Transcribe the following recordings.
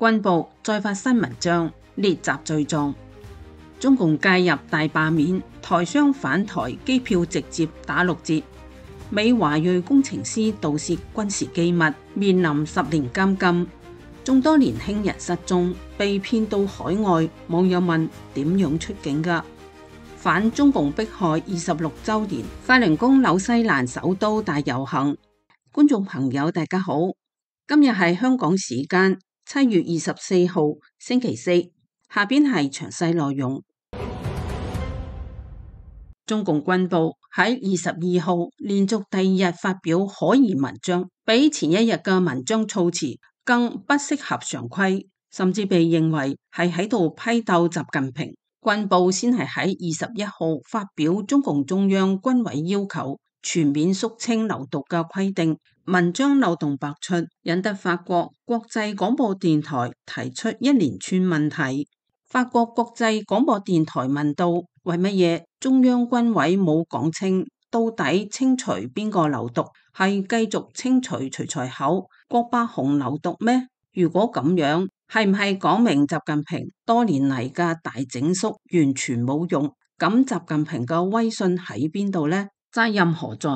軍報再發新文章列習罪狀，中共介入大罷免，台商返台機票直接打6折。美華裔工程師盜竊軍事機密，面臨10年監禁。眾多年輕人失蹤，被騙到海外。網友問點樣出境㗎？反中共迫害26週年，法輪功紐西蘭首都大遊行。觀眾朋友大家好，今日係香港時間7月24號星期四，下邊係詳細內容。中共軍報喺22號連續第2日發表可疑文章，比前一日嘅文章措辭更不適合常規，甚至被認為係喺度批鬥習近平。軍報先係喺21號發表中共中央軍委要求全面肅清流毒嘅規定，文章漏洞百出，引得法國國際廣播電台提出一連串問題。法國國際廣播電台問到：為乜嘢中央軍委冇講清到底清除邊個流毒？係繼續清除徐才厚、郭伯雄流毒咩？如果咁樣，係唔係講明習近平多年嚟嘅大整肅完全冇用？咁習近平嘅威信喺邊度呢？責任何在？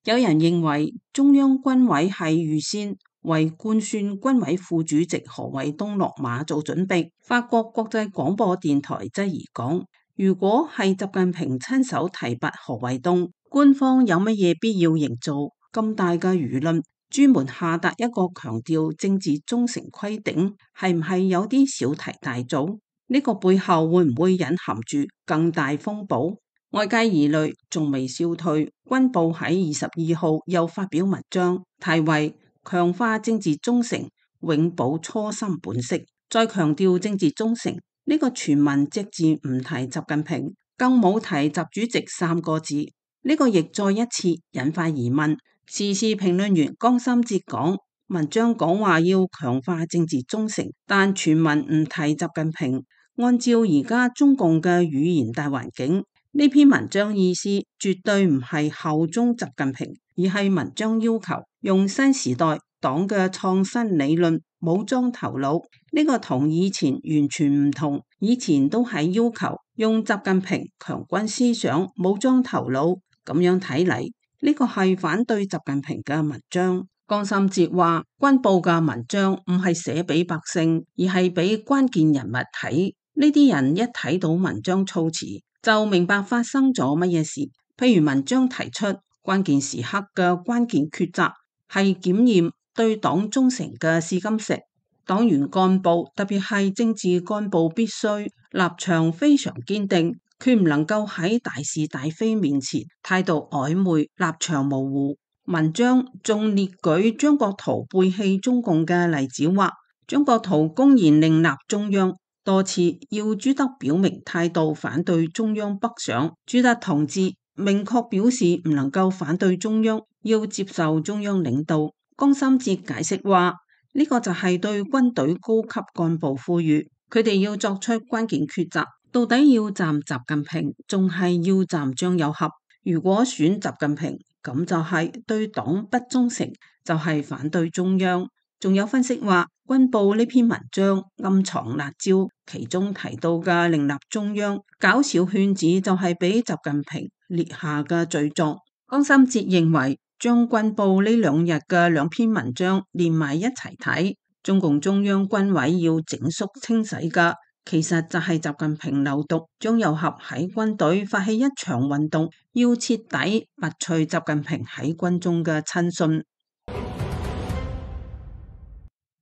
有人認為中央軍委係預先為官宣軍委副主席何衛東落馬做準備。法國國際廣播電台質疑講：如果係習近平親手提拔何衛東，官方有乜嘢必要營造咁大嘅輿論，專門下達一個強調政治忠誠規定，係唔係有啲小題大做？呢個背後會唔會隱含住更大風暴？外界疑慮仲未消退，軍報喺22號又發表文章，題為強化政治忠誠，永保初心本色。再強調政治忠誠，呢個全文隻字唔提習近平，更冇提習主席3個字，呢個亦再一次引發疑問。時事評論員江心哲講，文章講話要強化政治忠誠，但全文唔提習近平。按照而家中共嘅語言大環境，呢篇文章意思絕對唔係效忠習近平，而係文章要求用新時代黨嘅創新理論武裝頭腦。呢個同以前完全唔同，以前都係要求用習近平強軍思想武裝頭腦，咁樣睇嚟，呢個係反對習近平嘅文章。江心哲話，軍報嘅文章唔係寫俾百姓，而係俾關鍵人物睇。呢啲人一睇到文章措辭，就明白發生咗乜嘢事。譬如文章提出關鍵時刻嘅關鍵抉擇係檢驗對黨忠誠嘅試金石，黨員幹部特別係政治幹部必須立場非常堅定，決唔能夠喺大是大非面前態度曖昧、立場模糊。文章仲列舉張國燾背棄中共嘅例子，話張國燾公然另立中央，多次要朱德表明態度反對中央北上，朱德同志明確表示唔能夠反對中央，要接受中央領導。江心哲解釋話，呢個就係對軍隊高級幹部呼籲，佢哋要作出關鍵抉擇，到底要站習近平，仲係要站張又俠？如果選習近平，咁就係對黨不忠誠，就係反對中央。仲有分析話，軍報呢篇文章暗藏辣招，其中提到嘅另立中央搞小圈子，就係俾習近平列下嘅罪狀。江心哲認為，將軍報呢2日嘅2篇文章連埋一齊睇，中共中央軍委要整肅清洗嘅，其實就係習近平流毒。張又俠喺軍隊發起一場運動，要徹底拔除習近平喺軍中嘅親信。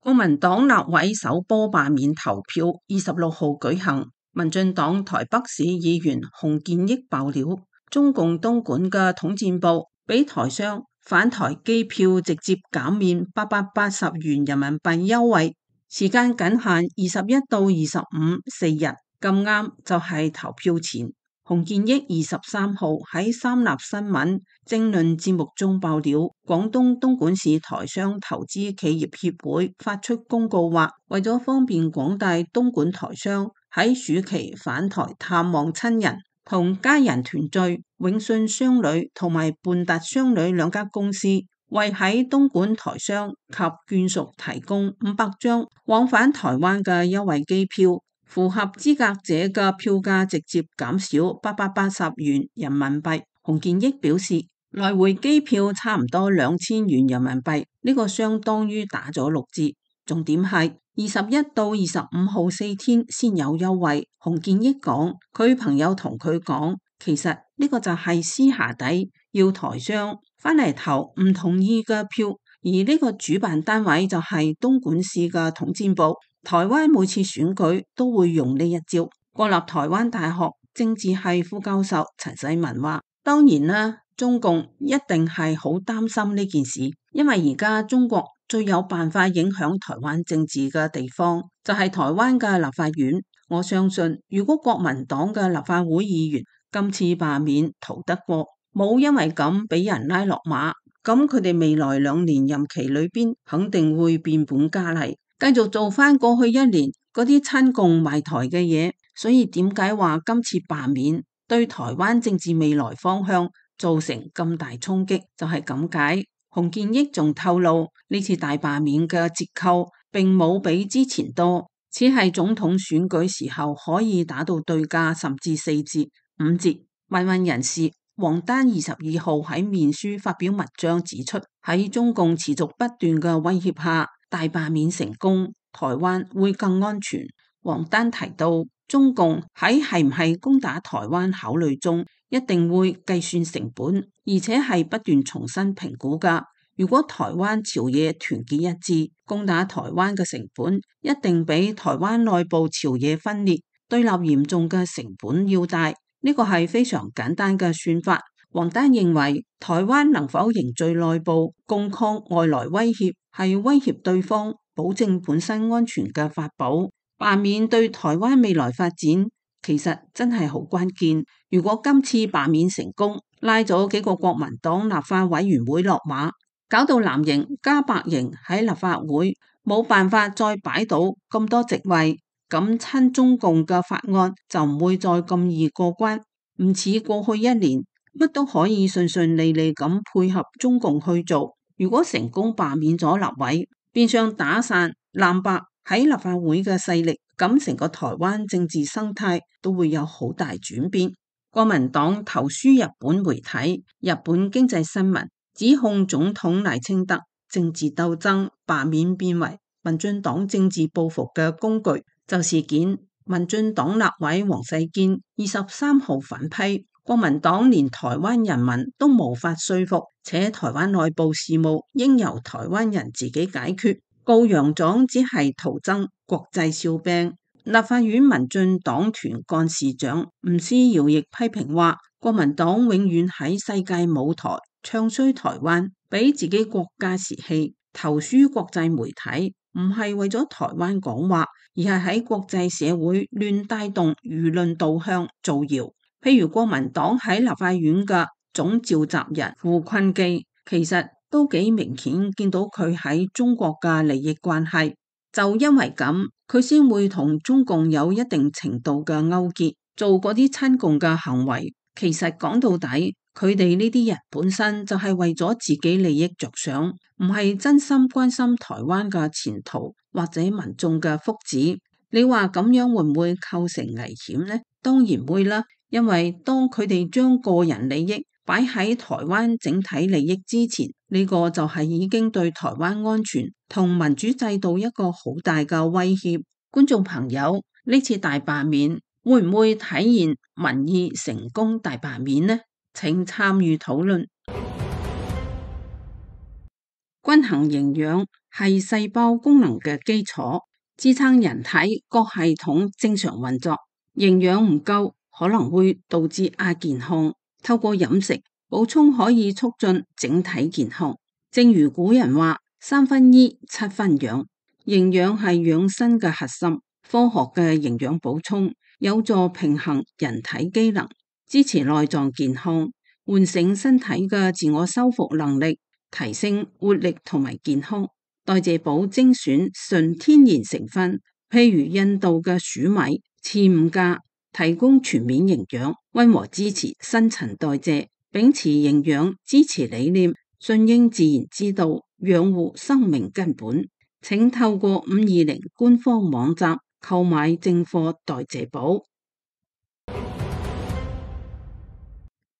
國民黨立委首波罷免投票26號舉行，民進黨台北市議員洪建益爆料，中共東莞嘅統戰部俾台商返台機票直接減免880元人民幣優惠，時間僅限21到25 4日，咁啱就係投票前。洪建益23號喺三立新聞政論節目中爆料，廣東東莞市台商投資企業協會發出公告話，為咗方便廣大東莞台商喺暑期返台探望親人同家人團聚，永信商旅同埋半達商旅2家公司為喺東莞台商及眷屬提供500張往返台灣嘅優惠機票，符合資格者嘅票價直接減少880元人民幣。洪建益表示，來回機票差唔多2000元人民幣，呢個相當於打咗6折。重點係21到25號4天先有優惠。洪建益講，佢朋友同佢講，其實呢個就係私下底要台商返嚟投唔同意嘅票，而呢個主辦單位就係東莞市嘅統戰部。台灣每次選舉都會用呢一招。國立台灣大學政治系副教授陳世文話，當然啦，中共一定係好擔心呢件事，因為而家中國最有辦法影響台灣政治嘅地方就係台灣嘅立法院。我相信如果國民黨嘅立法會議員今次罷免逃得過，冇因為咁俾人拉落馬，咁佢哋未來2年任期裏邊肯定會變本加厲，繼續做翻過去1年嗰啲親共賣台嘅嘢。所以點解話今次罷免對台灣政治未來方向造成咁大衝擊，就係咁解。洪建益仲透露，呢次大罷免嘅折扣並冇比之前多，只係總統選舉時候可以打到對價，甚至4折、5折。民運人士王丹22號喺面書發表文章指出，喺中共持續不斷嘅威脅下，大罷免成功，台灣會更安全。王丹提到，中共喺係唔係攻打台灣考慮中，一定會計算成本，而且係不斷重新評估噶。如果台灣朝野團結一致，攻打台灣嘅成本一定比台灣內部朝野分裂、對立嚴重嘅成本要大。呢個係非常簡單嘅算法。王丹認為，台灣能否凝聚內部共抗外來威脅，係威脅對方保證本身安全嘅法寶。罷免對台灣未來發展其實真係好關鍵。如果今次罷免成功，拉咗幾個國民黨立法委員會落馬，搞到藍營加白營喺立法會冇辦法再擺到咁多席位，咁親中共嘅法案就唔會再咁易過關，唔似過去1年乜都可以順順利利咁配合中共去做。如果成功罷免咗立委，變相打散藍白喺立法會嘅勢力，咁成個台灣政治生態都會有好大轉變。國民黨投書日本媒體日本經濟新聞，指控總統賴清德政治鬥爭罷免變為民進黨政治報復嘅工具。就事件，民進黨立委王世堅23號反批，國民黨連台灣人民都無法說服，且台灣內部事務應由台灣人自己解決。告楊狀只係徒增國際笑柄。立法院民進黨團幹事長吳思瑤亦批評話，國民黨永遠喺世界舞台唱衰台灣，俾自己國家士氣，投書國際媒體，唔係為咗台灣講話，而係喺國際社會亂帶動輿論導向造謠。譬如國民黨喺立法院嘅總召集人胡坤基，其實都幾明顯見到佢喺中國嘅利益關係，就因為咁，佢先會同中共有一定程度嘅勾結，做嗰啲親共嘅行為。其實講到底，佢哋呢啲人本身就係為咗自己利益着想，唔係真心關心台灣嘅前途或者民眾嘅福祉。你話咁樣會唔會構成危險呢？當然會啦，因為當佢哋將個人利益擺喺台灣整體利益之前，呢個就係已經對台灣安全同民主制度一個好大嘅威脅。觀眾朋友，呢次大罷免會唔會體現民意成功大罷免呢？請參與討論。均衡營養係細胞功能嘅基礎，支撐人體各系統正常運作。營養唔夠可能會導致亞健康。透過飲食補充可以促進整體健康。正如古人話：3分醫，7分養。營養係養生嘅核心。科學嘅營養補充有助平衡人體機能，支持內臟健康，喚醒身體嘅自我修復能力，提升活力同埋健康。代謝補精選純天然成分，譬如印度嘅薯米、刺五加，提供全面營養，溫和支持新陳代謝，秉持營養支持理念，順應自然之道，養護生命根本。請透過520官方網站購買正貨代謝寶。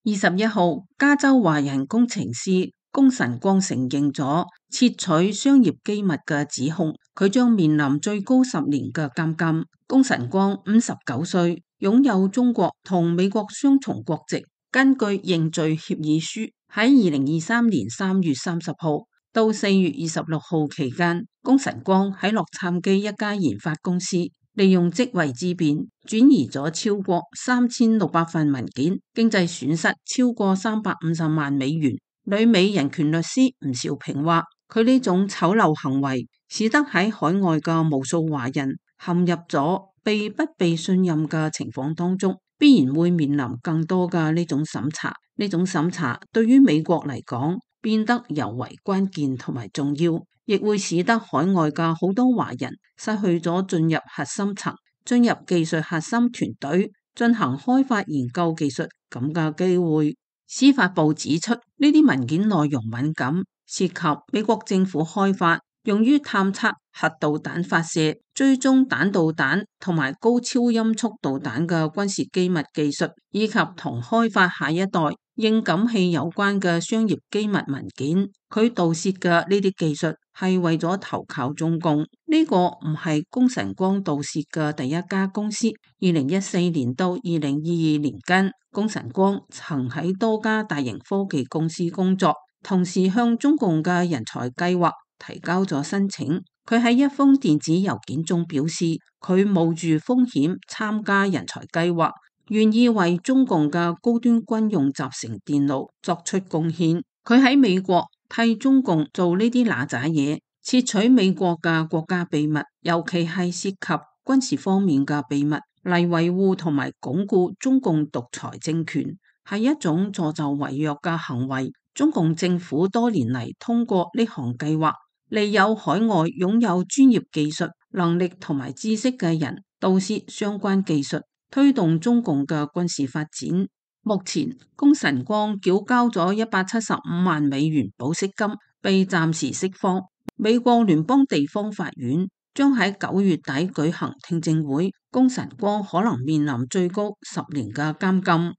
21號，加州華人工程師龔晨光承認咗竊取商業機密嘅指控，佢將面臨最高10年嘅監禁。龔晨光59歲，擁有中國同美國雙重國籍。根據認罪協議書，喺2023年3月30號到4月26號期間，龔晨光喺洛杉磯一家研發公司利用職位之便轉移咗超過3600份文件，經濟損失超過350萬美元。旅美人權律師吳兆平話，佢呢種醜陋行為使得喺海外嘅無數華人陷入咗不被信任嘅情況當中，必然會面臨更多嘅呢種審查。呢種審查對於美國嚟講變得尤為關鍵同埋重要，亦會使得海外嘅好多華人失去咗進入核心層、進入技術核心團隊進行開發研究技術咁嘅機會。司法部指出，呢啲文件內容敏感，涉及美國政府開發用於探測核導彈發射、追蹤彈道彈同埋高超音速導彈嘅軍事機密技術，以及同開發下一代應感器有關嘅商業機密文件。佢盜竊嘅呢啲技術係為咗投靠中共。呢個唔係龔晨光盜竊嘅第一家公司。2014年到2022年間，龔晨光曾喺多家大型科技公司工作，同時向中共嘅人才計劃提交咗申請。佢喺一封電子郵件中表示，佢冒住風險參加人才計劃，願意為中共嘅高端軍用集成電路作出貢獻。佢喺美國替中共做呢啲嗱喳嘢，竊取美國嘅國家秘密，尤其係涉及軍事方面嘅秘密，嚟維護同埋鞏固中共獨裁政權，係一種助紂為虐嘅行為。中共政府多年嚟通過呢項計劃，利誘海外擁有專業技術能力同埋知識嘅人盜竊相關技術，推動中共嘅軍事發展。目前，龔晨光繳交咗175萬美元保釋金，被暫時釋放。美國聯邦地方法院將喺9月底舉行聽證會，龔晨光可能面臨最高10年嘅監禁。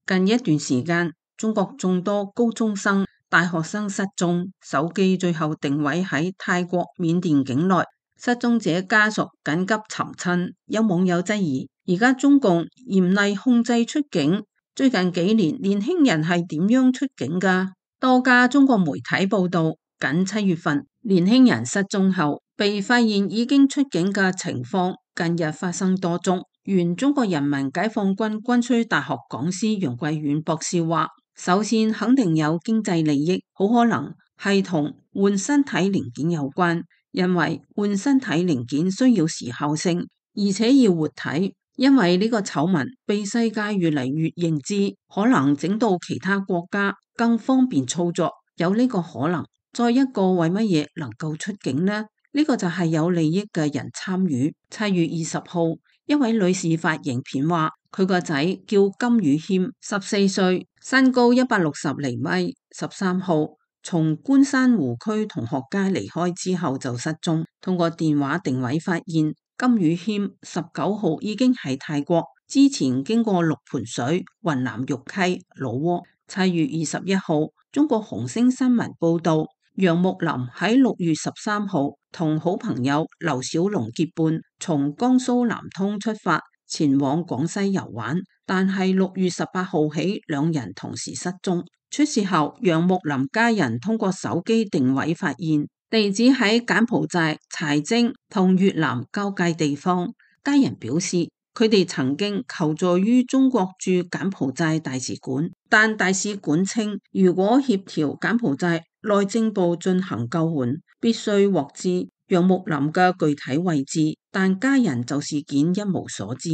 近一段時間，中國眾多高中生、大學生失蹤，手機最後定位喺泰國、緬甸境內，失蹤者家屬緊急尋親。有網友質疑，而家中共嚴厲控制出境，最近幾年年輕人係點樣出境㗎？多家中國媒體報道，僅7月份年輕人失蹤後被發現已經出境嘅情況，近日發生多宗。原中國人民解放軍軍需大學講師楊貴遠博士話，首先肯定有經濟利益，好可能係同換身體零件有關，因為換身體零件需要時效性，而且要活體。因為呢個醜聞被世界越嚟越認知，可能整到其他國家更方便操作，有呢個可能。再一個，為乜嘢能夠出境呢？呢個就係有利益嘅人參與。7月20號，一位女士發影片話，佢個仔叫金宇謙，14歲，身高160厘米，13號從觀山湖區同學街離開之後就失蹤。通過電話定位發現，金宇謙19號已經喺泰國，之前經過六盤水、雲南玉溪、老撾。7月21號，中國紅星新聞報道，楊木林喺6月13號同好朋友劉小龍結伴，從江蘇南通出發前往廣西遊玩，但係6月18號起兩人同時失蹤。出事後，楊木林家人通過手機定位發現地址喺柬埔寨柴晶同越南交界地方。家人表示，佢哋曾經求助於中國駐柬埔寨大使館，但大使館稱，如果協調柬埔寨內政部進行救援，必須獲知楊木林嘅具體位置，但家人就事件一無所知。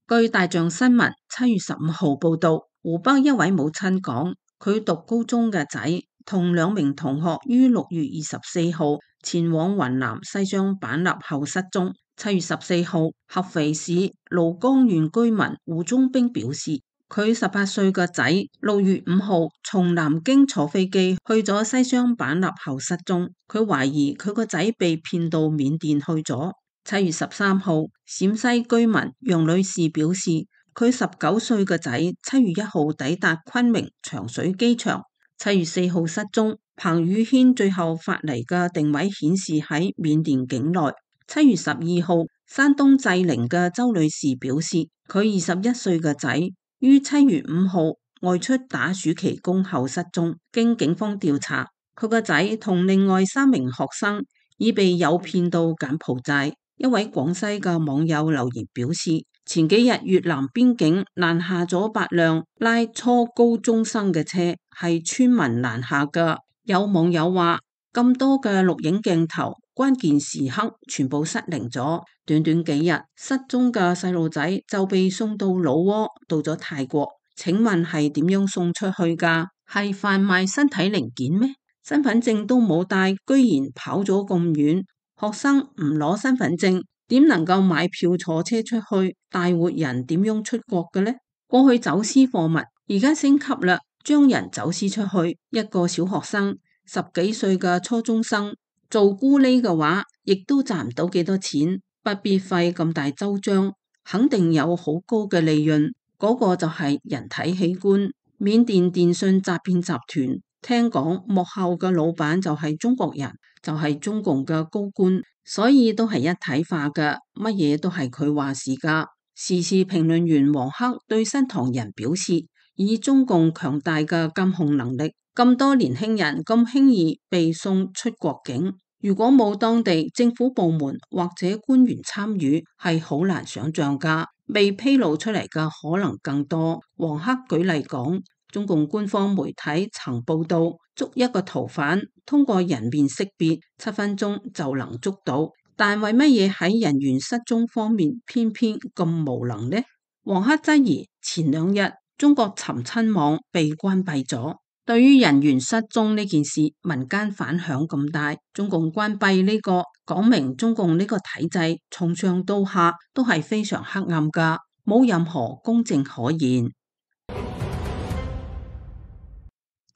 據大象新聞7月15號報道，湖北一位母親講，佢讀高中嘅仔同2名同學於6月24號前往雲南西雙版納後失蹤。7月14號，合肥市廬江縣居民胡忠兵表示，佢18歲個仔6月5號從南京坐飛機去咗西雙版納後失蹤，佢懷疑佢個仔被騙到緬甸去咗。7月13號，陝西居民楊女士表示，佢19歲個仔7月1號抵達昆明長水機場，7月4號失蹤。彭宇軒最後發嚟嘅定位顯示喺緬甸境內。7月12號，山東濟寧嘅周女士表示，佢21歲嘅仔於7月5號外出打暑期工後失蹤。經警方調查，佢個仔同另外3名學生已被誘騙到柬埔寨。一位廣西嘅網友留言表示，前幾日越南邊境攔下咗8輛拉初高中生嘅車，係村民攔下嘅。有網友話，咁多嘅錄影鏡頭，關鍵時刻全部失靈咗，短短幾日失蹤嘅細路仔就被送到老撾，到咗泰國。請問係點樣送出去㗎？係販賣身體零件咩？身份證都冇帶，居然跑咗咁遠。學生唔攞身份證，點能夠買票坐車出去？大活人點樣出國嘅呢？過去走私貨物，而家升級啦，將人走私出去。一個小學生10幾歲嘅初中生做咕喱嘅話，亦都賺唔到幾多錢，不必費咁大周章，肯定有好高嘅利潤。嗰個就係人體器官。緬甸電信詐騙集團聽講幕後嘅老闆就係中國人，就係中共嘅高官，所以都係一體化嘅，乜嘢都係佢話事噶。時事評論員黃克對新唐人表示，以中共強大嘅監控能力，咁多年輕人咁輕易被送出國境，如果冇當地政府部門或者官員參與，係好難想象噶。未披露出嚟嘅可能更多。黃克舉例講，中共官方媒體曾報道，捉一個逃犯通過人面識別7分鐘就能捉到，但為乜嘢喺人員失蹤方面偏偏咁無能呢？黃克質疑前2日中國尋親網被關閉咗。對於人員失蹤呢件事，民間反響咁大，中共關閉呢個講明中共呢個體制從上到下都係非常黑暗噶，冇任何公正可言。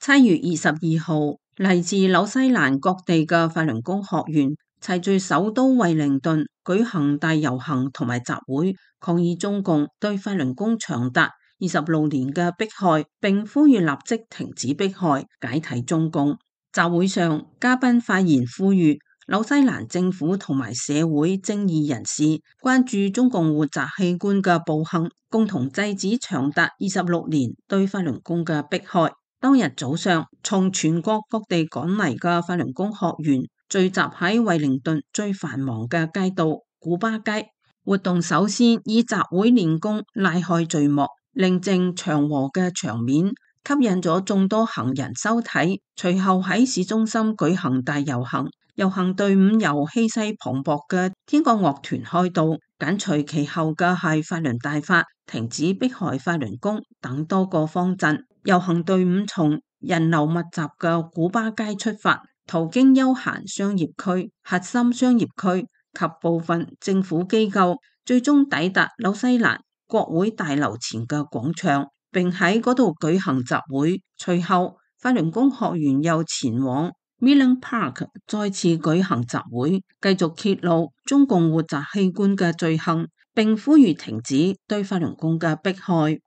7月22號，嚟自紐西蘭各地嘅法輪功學員齊聚首都惠靈頓舉行大遊行同埋集會，抗議中共對法輪功長達26年嘅迫害，並呼籲立即停止迫害，解體中共。集會上，嘉賓發言呼籲紐西蘭政府同埋社會正義人士關注中共活摘器官嘅暴行，共同制止長達26年對法輪功嘅迫害。當日早上，從全國各地趕嚟嘅法輪功學員聚集喺惠靈頓最繁忙嘅街道古巴街。活動首先以集會練功拉開序幕，寧靜祥和嘅場面吸引咗眾多行人收睇。隨後喺市中心舉行大遊行，遊行隊伍由氣勢磅礴嘅天國樂團開道，緊隨其後嘅係法輪大法、停止迫害法輪功等多個方陣。遊行隊伍從人流密集嘅古巴街出發，途經休閒商業區、核心商業區及部分政府機構，最終抵達紐西蘭國會大樓前嘅廣場，並喺嗰度舉行集會。隨後，法輪功學員又前往 Millen Park 再次舉行集會，繼續揭露中共活摘器官嘅罪行，並呼籲停止對法輪功嘅迫害。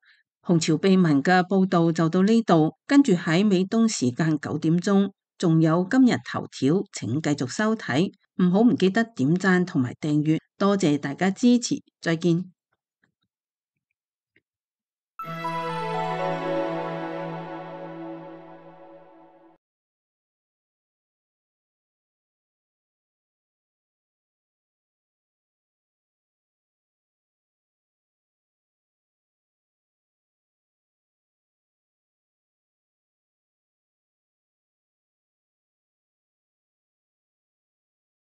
紅潮秘聞嘅報道就到呢度，跟住喺美東時間9點鐘，仲有今日頭條，請繼續收睇，唔記得點讚同埋訂閱，多謝大家支持，再見。